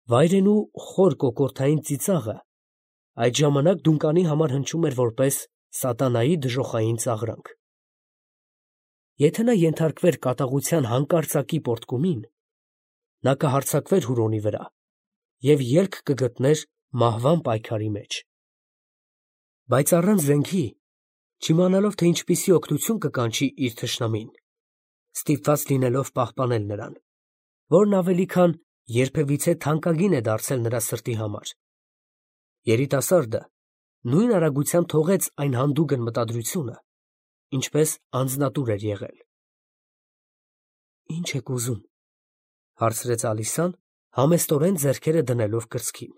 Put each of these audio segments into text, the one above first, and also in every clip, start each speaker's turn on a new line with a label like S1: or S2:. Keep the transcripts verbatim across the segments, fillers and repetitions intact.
S1: Վայրենու խոր կոկորդային ծիծաղը այդ ժամանակ Դունկանի համար հնչում էր որպես սատանայի դժոխային ծաղրանք։ Եթե նա ենթարկվեր կատաղության հանկարծակի պոռթկումին, նա կհարձակվեր Հուրոնի վրա և ելք կգտներ մահվան պայքարի մեջ։ Բայց առանց զենքի, չիմանալով, թե ինչպիսի օգնություն կկանչի իր թշնամին, ստիպված լինելով պահպանել նրան, որն ավելի քան երբևիցե թանկագին է դարձել նրա սրտի համար, երիտասարդը նույն արագությամբ թողեց այն հանդուգն մտադրությունը, ինչպես անձնատուր էր եղել։ «Ի՞նչ եք ուզում», ֊ հարցրեց Ալիսան, համեստորեն ձեռքերը դնելով կրծքին։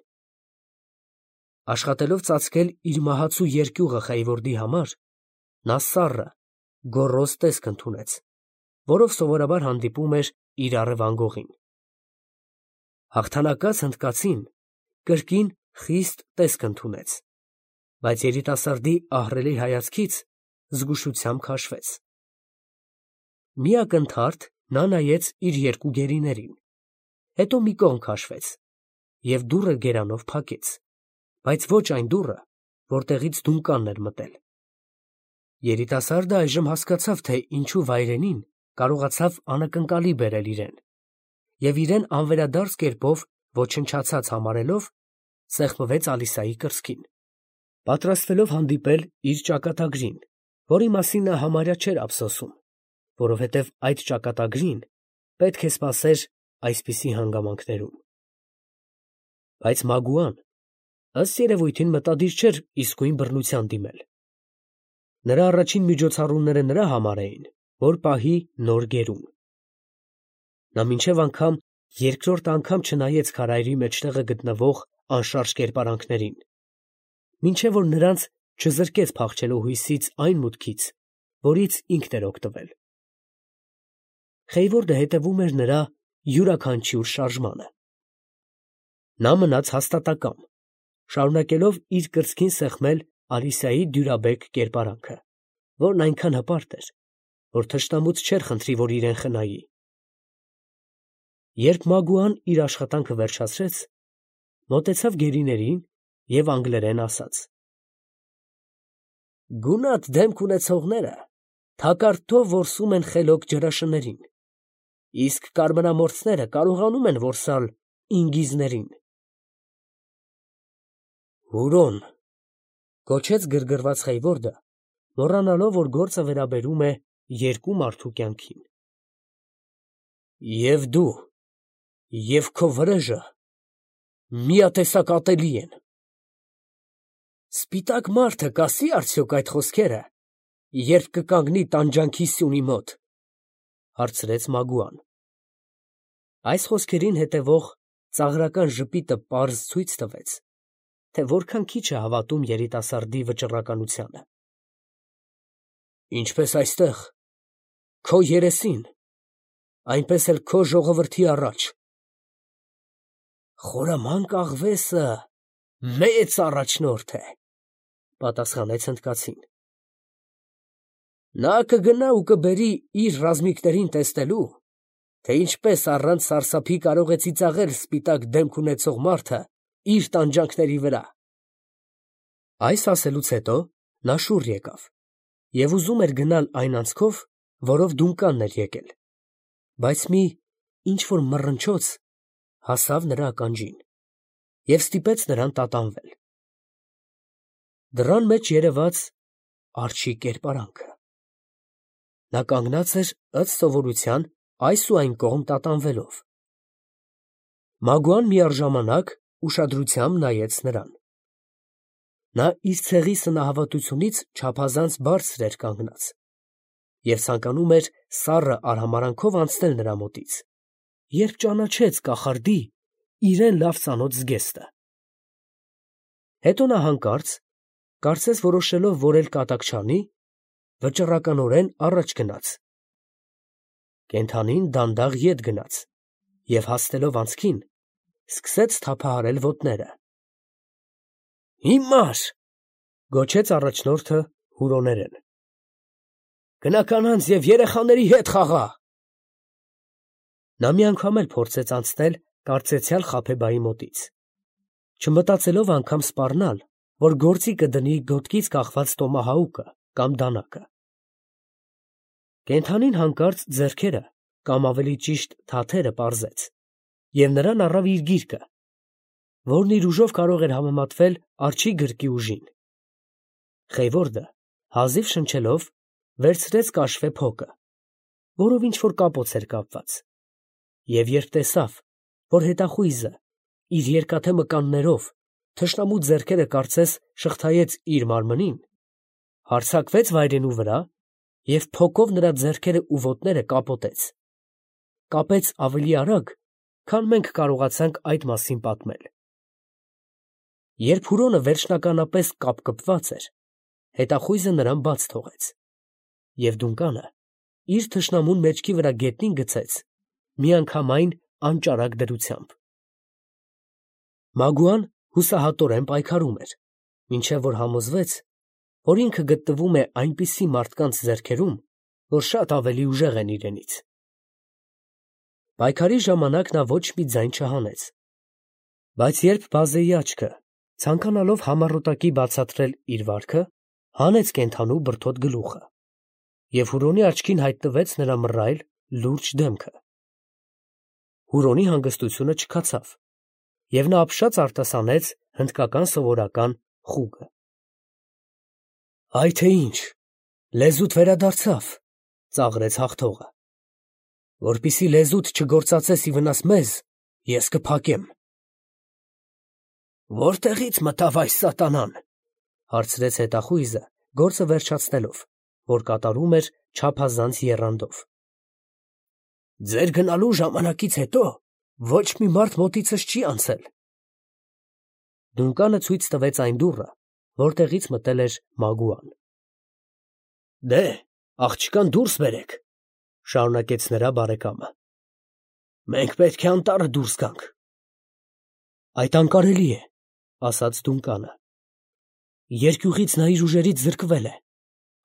S1: Աշխատելով ծածկել իր մահացու երկյուղը Խեյվորդի համար, նա սառը, գոռոզ տեսք ընդունեց, որով սովորաբար հանդիպում էր իր առևանգողին։ Հաղթանակած հնդկացին կրկին խիստ տեսք ընդունեց, բայց երիտասարդի ահռելի հայացքից զգուշությամբ քաշվեց։ Մի ակնթարթ նա նայեց իր երկու գերիներին, հետո մի կողմ քաշվեց և դուռը գերանով փակեց, բայց ոչ այն դուռը, որտեղից Դունկանն էր մտել։ Երիտասարդը այժմ հասկացավ, թե ինչու վայրենին կարողացավ անակնկալի բերել իրեն, և իրեն անվերադարձ կերպով ոչնչացած համարելով, սեղմվեց Ալիսայի կրծքին, պատրաստվելով հանդիպել իր ճակատագրին, որի մասին նա համարյա չէր ափսոսում, որովհետև այդ ճակատագրին պետք է սպասեր այսպիսի հանգամանքներում։ Բայց Մագուան, ըստ երևույթին, մտադիր չէր իսկույն բռնության դիմել։ Նրա առաջին միջոցառումները նրա համար էին, որ պահի նոր գերուն։ Նա մինչև անգամ երկրորդ անգամ չնայեց քարայրի մեջտեղը գտնվող անշարժ կերպարանքներին, մինչև որ նրանց չզրկեց փախչելու հույսից այն մուտքից, որից ինքն էր օգտվել։ Խեյվորդը հետևում էր նրա յուրաքանչյուր շարժմանը։ Նա մնաց հաստատակամ, շարունակելով իր կրծքին սեղմել Ալիսայի դյուրաբեկ կերպարանքը, որն այնքան հպարտ էր, որ թշնամուց չէր խնդրի, որ իրեն խնայի։ Երբ Մագուան իր աշխատանքը վերջացրեց, մոտեցավ գերիներին և անգլերեն ասաց. «Գունատ դեմք ունեցողները թակարդով որսում են խելոք ջրաշներին, իսկ կարմրամորձները կարողանում են որսալ ինգիզներին»։ «Հուրոն», ֊ գոչեց գրգռված Խեյվորդը, մոռանալով, որ գործը վերաբերում է երկու մարդու կյանքին։ «Եվ դու, և քո վրեժը միատեսակ ատելի են»։ «Սպիտակ մարդը կասի՞ արդյոք այդ խոսքերը, երբ կկանգնի տանջանքի սյունի մոտ», ֊ հարցրեց Մագուան։ Այս խոսքերին հետևող ծաղրական ժպիտը պարզ ցույց տվեց, թե որքան քիչ է հավատում երիտասարդի վճռականությանը։ «Ինչպես այստեղ, քո երեսին, այնպես էլ քո ժողովրդի առաջ»։ «Խորամանկ աղվեսը մեծ առաջնորդ է», ֊ պատասխանեց հնդկացին։ «Նա կգնա ու կբերի իր ռազմիկներին տեսնելու, թե ինչպես առանց սարսափի կարող է ծիծաղել սպիտակ դեմք ունեցող մարդը իր տանջանքների վրա»։ Այս ասելուց հետո նա շուռ եկավ և ուզում էր գնալ այն անցքով, որով Դունկանն էր եկել, բայց մի ինչ֊որ մռնչոց հասավ նրա ականջին և ստիպեց նրան տատանվել։ Դռան մեջ երևաց արջի կերպարանքը։ Նա կանգնած էր ըստ սովորության այս ու այն կողմ տատանվելով։ Մագուան միառժամանակ ուշադրությամբ նայեց նրան։ Նա իր ցեղի սնահավատությունից չափազանց բարձր էր կանգնած և ցանկանում էր սառը արհամարհանքով անցնել նրա մոտից, երբ ճանաչեց կախարդի իրան լավ ծանոթ զգեստը։ Հետո նա հանկարծ, կարծես որոշելով, որ էլ կատակ չանի, վճռականորեն առաջ գնաց։ Կենդանին դանդաղ ետ գնաց և, հասնելով անցքին, սկսեց թափահարել ոտները։ «Հիմար», ֊ գոչեց առաջնորդը հուրոներեն։ «Գնա կանանց և երեխաների հետ խաղա»։ Նա մի անգամ էլ փորձեց անցնել կարծեցյալ Խաբեբայի մոտից, չմտածելով անգամ սպառնալ, որ գործի կդնի գոտկից կախված տոմահաուկը կամ դանակը։ Կենդանին հանկարծ ձեռքերը, կամ ավելի ճիշտ թաթերը պարզեց, և նրան առավ իր գիրկը, որն իր ուժով կարող էր համեմատվել արջի գրկի ուժին։ Խեյվորդը, հազիվ շնչելով, վերցրեց կաշվե փոկը, որով ինչ-որ կապոց էր կապված, և երբ տեսավ, որ հետախույզը իր երկաթե մկաններով թշնամու ձեռքերը կարծես շղթայեց իր մարմնին, հարձակվեց վայրենու վրա և փոկով նրա ձեռքերը ու ոտները կապոտեց, կապեց ավելի արագ, քան մենք կարողացանք այդ մասին պատմել։ Երբ Հուրոնը վերջնականապես կապկպված էր, հետախույզը նրան բաց թողեց, և Դունկանը իր թշնամուն մեջքի վրա գետնին գցեց միանգամայն անճարակ դրությամբ։ Մագուան հուսահատորեն պայքարում էր, մինչև որ համոզվեց, որ ինքը գտնվում է այնպիսի մարդկանց ձեռքերում, որ շատ ավելի ուժեղ են իրենից։ Պայքարի ժամանակ նա ոչ մի ձայն չհանեց, բայց երբ բազեի աչքը, ցանկանալով համառոտակի բացատրել իր վարքը, հանեց կենդանու բրդոտ գլուխը, և Հուրոնի աչքին հայտնվեց նրա մռայլ, լուրջ դեմքը։ Հուրոնի հանգստությունը չքացավ, և նա ապշած արտասանեց հնդկական սովորական խուգը։ «Այ թե ինչ, լեզուդ վերադարձավ», ֊ ծաղրեց հաղթողը, ֊ որպեսզի լեզուդ չգործածես ի վնաս մեզ, ես կփակեմ։ «Որտեղի՞ց մտավ այս սատանան», ֊ հարցրեց հետախույզը, գործը վերջացնելով, որ կատարում էր չափազանց եռանդով։ «Ձեր գնալու ժամանակից հետո ոչ մի մարդ մոտիցս չի անցել»։ Դունկանը ցույց տվեց այն դուռը, որտեղից մտել էր Մագուան։ «Դե, աղջկան դուրս բերեք», ֊ շարունակեց նրա բարեկամը։ «Մենք պետք է անտառը դուրս գանք»։ «Այդ անկարելի է», ֊ ասաց Դունկանը։ «Երկյուղից նա իր ուժերից զրկվել է։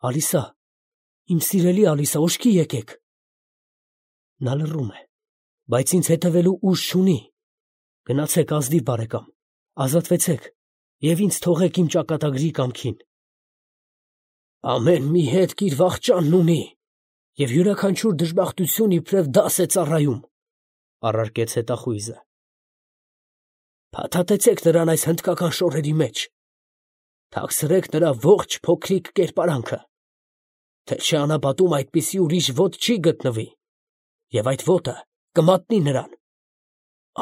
S1: Ալիսա, իմ սիրելի Ալիսա, ուշքի եկեք»։ Նա լռում է, բայց ինձ հետևելու ուժ չունի։ Գնացեք, ազնիվ բարեկամ, ազատվեցեք և ինձ թողեք իմ ճակատագրի կամքին։ «Ամեն մի հետք իր վախճանն ունի, և յուրաքանչյուր դժբախտություն իբրև դաս է ծառայում», ֊ առարկեց հետախույզը։ «Փաթաթեցեք նրան այս հնդկական շորերի մեջ, թաքցրեք նրա ողջ փոքրիկ կերպարանքը, թե չէ անապատում այդպիսի ուրիշ ոտ չի գտնվի, և այդ ոտը կմատնի նրան։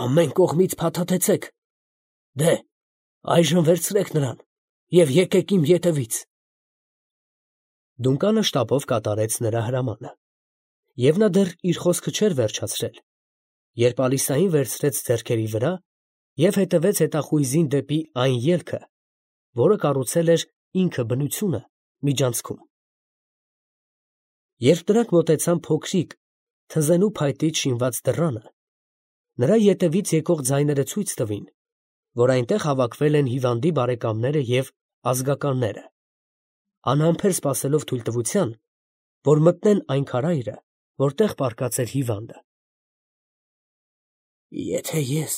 S1: Ամեն կողմից փաթաթեցեք. դե, այժմ վերցրեք նրան և եկեք իմ ետևից»։ Դունկանը շտապով կատարեց նրա հրամանը, և նա դեռ իր խոսքը չէր վերջացրել, երբ Ալիսային վերցրեց ձեռքերի վրա և հետևեց հետախույզին դեպի այն ելքը, որը կառուցել էր ինքը բնությունը միջանցքում։ Երբ նրանք մոտեցան փոքրիկ, թզենու փայտից շինված դռանը, նրա ետևից եկող ձայները ցույց տվին, որ այնտեղ հավաքվել են հիվանդի բարեկամները և ազգականները, անհամբեր սպասելով թույլտվության, որ մտնեն այն քարայրը, որտեղ պառկած էր հիվանդը։ «Եթե ես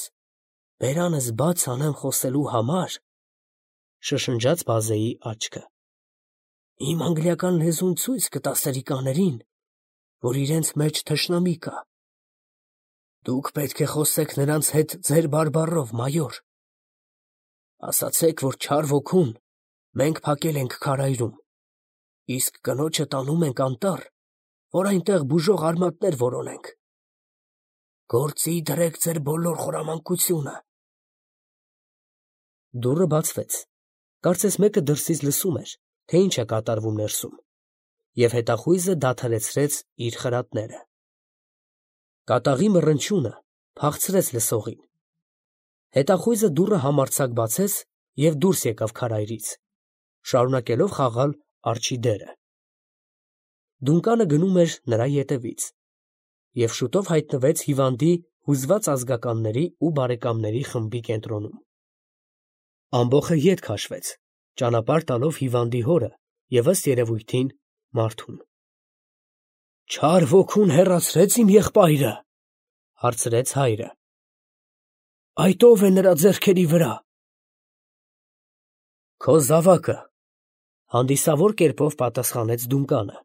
S1: բերանս բաց անեմ խոսելու համար, ֊ շշնջաց բազեի աչքը, ֊ իմ անգլիական լեզուն ցույց կտա սրիկաներին, որ իրենց մեջ թշնամի կա։ Դուք պետք է խոսեք նրանց հետ ձեր բարբառով, մայոր։ Ասացեք, որ չար ոգուն մենք փակել ենք քարայրում, իսկ կնոջը տանում ենք անտառ, որ այնտեղ բուժող արմատներ որոնենք։ Գործի դրեք ձեր բոլոր խորամանկությունը»։ Դուռը բացվեց, կարծես մեկը դրսից լսում էր, թե ինչ է կատարվում ներսում, և հետախույզը դադարեցրեց իր խրատները։ Կատաղի մռնչյունը փախցրեց լսողին։ Հետախույզը դուռը համարձակ բացեց և դուրս եկավ քարայրից, շարունակելով խաղալ արջի դերը։ Դունկանը գնում էր նրա ետևից, և շուտով հայտնվեց հիվանդի հուզված ազգականների ու բարեկամների խմբի կենտրոնում։ Ամբոխը ետ քաշվեց, ճանապարհ տալով հիվանդի հորը և, ըստ երևույթին, մարդուն։ «Չար ոգուն հեռացրե՞ց իմ եղբայրը», ֊ հարցրեց հայրը։ Այդ ո՞վ է նրա ձեռքերի վրա։ Քո զավակը, հանդիսավոր կերպով պատասխանեց Դունկանը։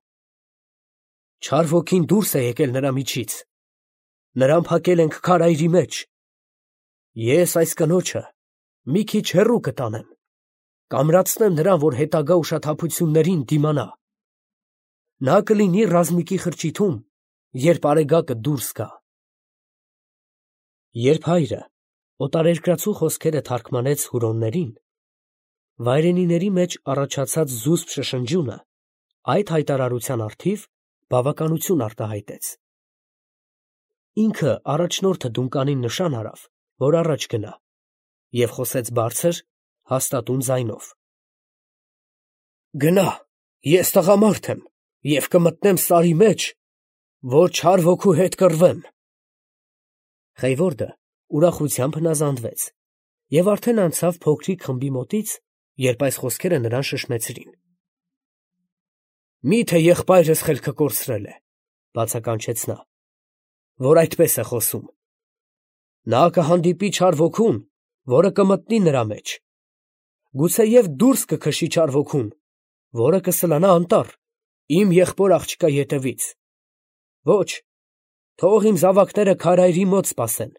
S1: Չար ոգին դուրս է եկել նրա միջից, նրան փակել ենք քարայրի մեջ։ Ես այս կնոջը մի քիչ հեռու կտանեմ, կամրացնեմ նրան, որ հետագա ուշաթափություններին դիմանա։ Նա կլինի ռազմիկի խրճիթում, երբ արեգակը դուրս գա։ Երբ հայրը օտարերկրացու խոսքերը թարգմանեց հուրոններին, վայրենիների մեջ առաջացած զուսպ շշնջյունը այդ հայտարարության առթիվ բավականություն արտահայտեց։ Ինքը առաջնորդը Դունկանին նշան արավ, որ առաջ գնա, և խոսեց բարձր, հաստատուն ձայնով. Գնա, ես տղամարդ եմ և կմտնեմ սարի մեջ, որ չար ոգու հետ կռվեմ։ Խեյվորդը ուրախությամբ հնազանդվեց և արդեն անցավ փոքրիկ խմբի մոտից, երբ այս խոսքերը նրան շշմեցրին։ Մի՞թե եղբայրս խելքը կորցրել է, բացականչեց նա, որ այդպես է խոսում։ Նա կհանդիպի չար ոգուն, որը կմտնի նրա մեջ, գուցեև դուրս կքշի չար ոգուն, որը կսլանա անտառ, իմ եղբոր աղջկա ետևից։ Ոչ, թող իմ զավակները քարայրի մոտ սպասեն,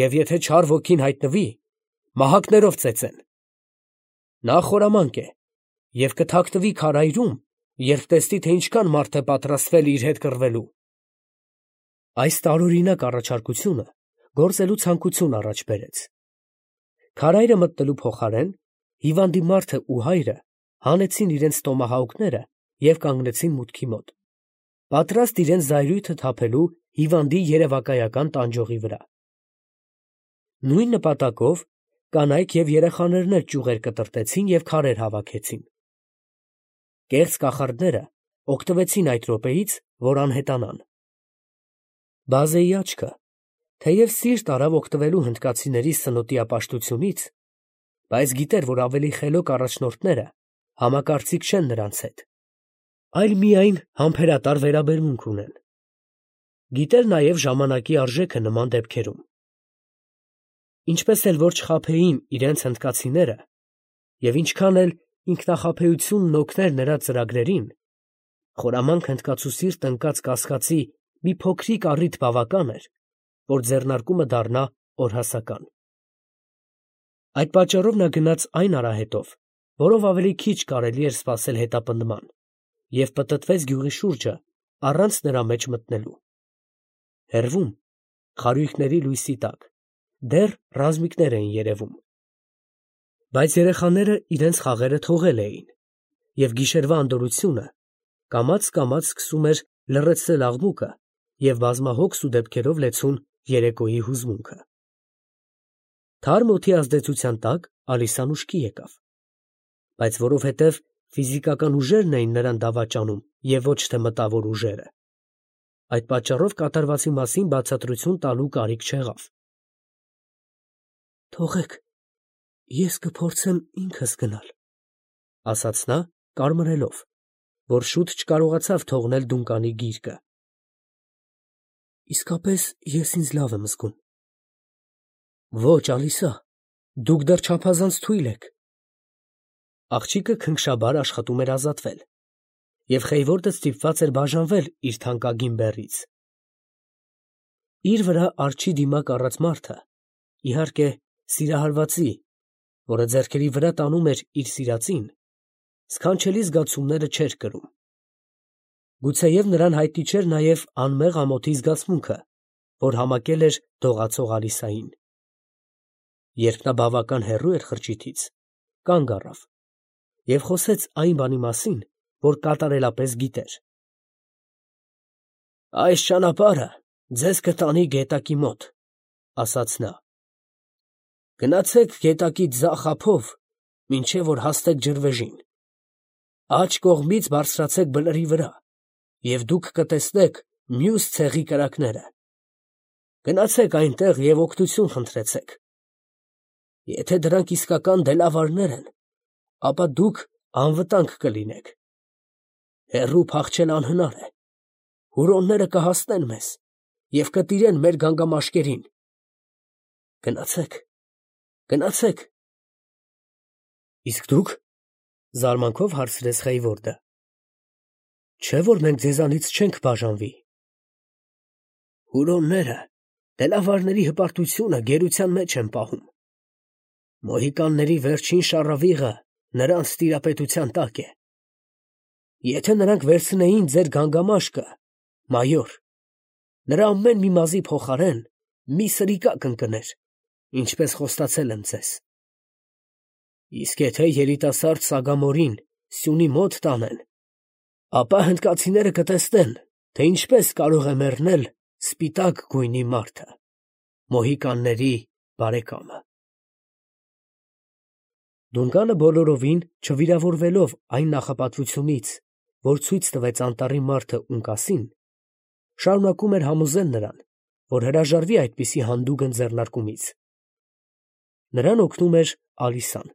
S1: և եթե չար ոգին հայտնվի, մահակներով ծեծեն։ Նա խորամանկ է և կթաքնվի քարայրում, երբ տեսնի, թե ինչքան մարդ է պատրաստվել իր հետ կռվելու։ Այս տարօրինակ առաջարկությունը գործելու ցանկություն առաջ բերեց։ Քարայրը մտնելու փոխարեն հիվանդի մարդը ու հայրը հանեցին իրենց տոմահավքները և կանգնեցին մուտքի մոտ, պատրաստ իրենց զայրույթը թափելու հիվանդի երևակայական տանջողի վրա։ Նույն նպատակով կանայք և երեխաներն էլ ճյուղեր կտրտեցին և քարեր հավաքեցին։ Կեղծ կախարդները օգտվեցին այդ րոպեից, որ անհետանան։ Բազեի աչքը, թեև սիրտ արավ օգտվելու հնդկացիների սնոտիապաշտությունից, բայց գիտեր, որ ավելի խելոք առաջնորդները համակարծիք չեն նրանց հետ, այլ միայն համբերատար վերաբերմունք ունեն։ Գիտեր նաև ժամանակի արժեքը նման դեպքերում։ Ինչպես էլ որ չխաբեին իրենց հնդկացիները, և ինչքան էլ ինքնախաբեությունն օգներ նրա ծրագրերին, խորամանկ հնդկացուսիրտ ընկած կասկածի մի փոքրիկ առիթ բավական էր, որ ձեռնարկումը դառնա օրհասական։ Այդ պատճառով նա գնաց այն արահետով, որով ավելի քիչ կարելի էր սպասել հետապնդման, և պտտվեց գյուղի շուրջը առանց նրա մեջ մտնելու։ Հեռվում, խարույկների լույսի տակ, դեռ ռազմիկներ էին երևում։ Բայց երեխաները իրենց խաղերը թողել էին, և գիշերվա անդորրությունը կամաց֊կամաց սկսում էր լռեցնել աղմուկը և բազմահոգ սուդեպքերով լեցուն երեկոյի հուզմունքը։ Թարմ օդի ազդեցության տակ Ալիսան ուշքի եկավ, բայց որովհետև ֆիզիկական ուժերն էին նրան դավաճանում և ոչ թե մտավոր ուժերը, այդ պատճառով կատարվածի մասին բացատրություն տալու կարիք չեղավ։ Թողեք, ես կփորձեմ ինքս գնալ, ֊ ասաց նա, կարմրելով, որ շուտ չկարողացավ թողնել Դունկանի գիրկը։ Իսկապես ես ինձ լավ եմ զգում։ Ոչ, Ալիսա, դուք դեռ չափազանց թույլ եք։ Աղջիկը քնքշաբար աշխատում էր ազատվել, և Խեյվորդը ստիպված էր բաժանվել իր թանկագին բեռից։ Իր վրա արջի դիմակ առած մարդը, իհարկե, սիրահարվածի, որը ձեռքերի վրա տանում էր իր սիրածին, սքանչելի զգացումները չէր կրում։ Գուցեև նրան հայտնի չէր նաև անմեղ ամոթի զգացմունքը, որ համակել էր դողացող Ալիսային։ Երբ նա բավական հեռու էր խրճիթից, կանգ առավ և խոսեց այն բանի մասին, որ կատարելապես գիտեր։ Այս ճանապարհը ձեզ կտանի գետակի մոտ, ֊ ասաց նա։ Գնացեք գետակի ձախ ափով, մինչև որ հասնեք ջրվեժին։ Աջ կողմից բարձրացեք բլրի վրա, և դուք կտեսնեք մյուս ցեղի կրակները։ Գնացեք այնտեղ և օգնություն խնդրեցեք։ Եթե դրանք իսկական դելավարներ են, ապա դուք անվտանգ կլինեք։ Հեռու փախչել անհնար է։ Հուրոնները կհասնեն մեզ և կտիրեն մեր գանգամաշկերին։ Գնացեք, գնացեք։ Իսկ դուք, զարմանքով հարցրեց Խեյվորդը, չէ՞ որ մենք ձեզանից չենք բաժանվի։ Հուրոնները դելավարների հպարտությունը գերության մեջ են պահում։ Մոհիկանների վերջին շառավիղը նրանց տիրապետության տակ է։ Եթե նրանք վերցնեին ձեր գանգամաշկը, մայոր, նրա ամեն մի մազի փոխարեն մի սրիկա կընկներ, ինչպես խոստացել եմ ձեզ։ Իսկ եթե երիտասարդ Սագամորին սյունի մոտ տանեն, ապա հնդկացիները կտեսնեն, թե ինչպես կարող է մեռնել սպիտակ գույնի մարդը, մոհիկանների բարեկամը։ Դունկանը բոլորովին չվիրավորվելով այն նախապատվությունից, որ ցույց տվեց անտառի մարդը Ունկասին, շարունակում էր համոզել նրան, որ հրաժարվի այդպիսի հանդուգն ձեռնարկումից։ Նրան օգնում էր Ալիսան։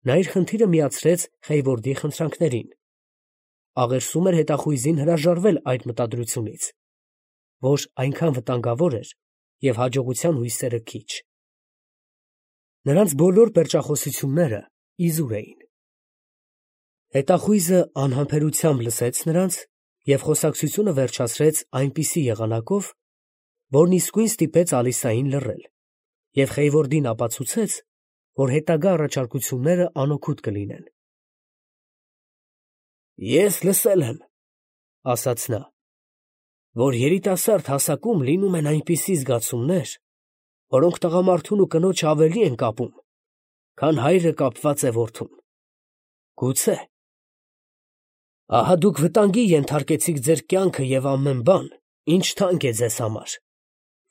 S1: Նա իր խնդիրը միացրեց Խեյվորդի խնդրանքներին, աղերսում էր հետախույզին հրաժարվել այդ մտադրությունից, որ այնքան վտանգավոր էր և հաջողության հույսերը քիչ։ Նրանց բոլոր պերճախոսությունները իզուր էին։ Հետախույզը անհամբերությամբ լսեց նրանց և խոսակցությունը վերջացրեց այնպիսի եղանակով, որն իսկույն ստիպեց Ալիսային լռել և Խեյվորդին ապացուցեց, որ հետագա առաջարկությունները անօգուտ կլինեն։ Ես լսել եմ, ֊ ասաց նա, ֊ որ երիտասարդ հասակում լինում են այնպիսի զգացումներ, որոնք տղամարդուն ու կնոջը ավելի են կապում, քան հայրը կապված է որդուն։ Գուցե։ Ահա դուք վտանգի ենթարկեցիք ձեր կյանքը և ամեն բան, ինչ թանկ է ձեզ համար,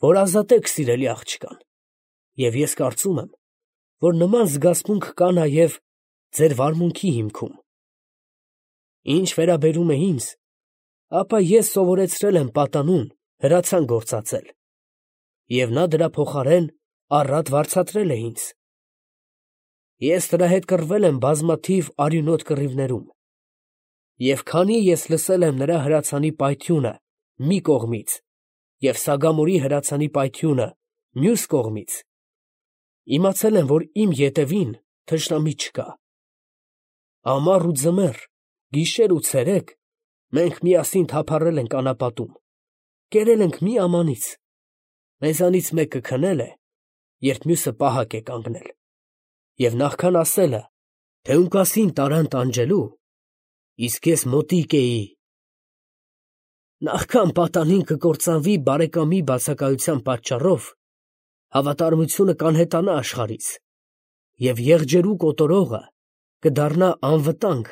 S1: որ ազատեք սիրելի աղջկան, և ես կարծում եմ, որ նման զգացմունք կա նաև ձեր վարմունքի հիմքում։ Ինչ վերաբերում է ինձ, ապա ես սովորեցրել եմ պատանուն հրացան գործածել, և նա դրա փոխարեն առատ վարձատրել է ինձ։ Ես նրա հետ կռվել եմ բազմաթիվ արյունոտ կռիվներում, և քանի ես լսել եմ նրա հրացանի պայթյունը մի կողմից և Սագամորի հրացանի պայթյունը մյուս կողմից, իմացել եմ, որ իմ ետևին թշնամի չկա։ Ամառ ու ձմեռ, գիշեր ու ցերեկ մենք միասին թափառել ենք անապատում, կերել ենք մի ամանից, մեզանից մեկը քնել է, երբ մյուսը պահակ է կանգնել, և նախքան ասելը, թե Ունկասին տարան տանջելու, իսկ ես մոտիկ էի։ Նախքան պատանին կկործանվի բարեկամի բացակայության պատճառով, հավատարմությունը կանհետանա աշխարհից, և եղջերու կոտորողը կդառնա անվտանգ,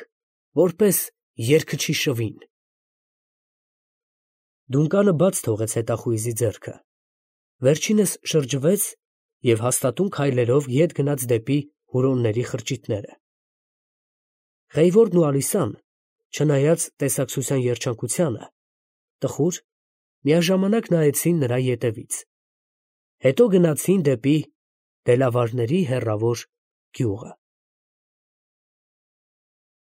S1: որպես երգչի շվին։ Դունկանը բաց թողեց հետախույզի ձեռքը, վերջինս շրջվեց և հաստատուն քայլերով ետ գնաց դեպի հուրոնների խրճիթները։ Խեյվորդն ու Ալիսան, չնայած տեսակցության երջանկությանը, տխուր, միաժամանակ նայեցին նրա ետևից, հետո գնացին դեպի դելավարների հեռավոր գյուղը։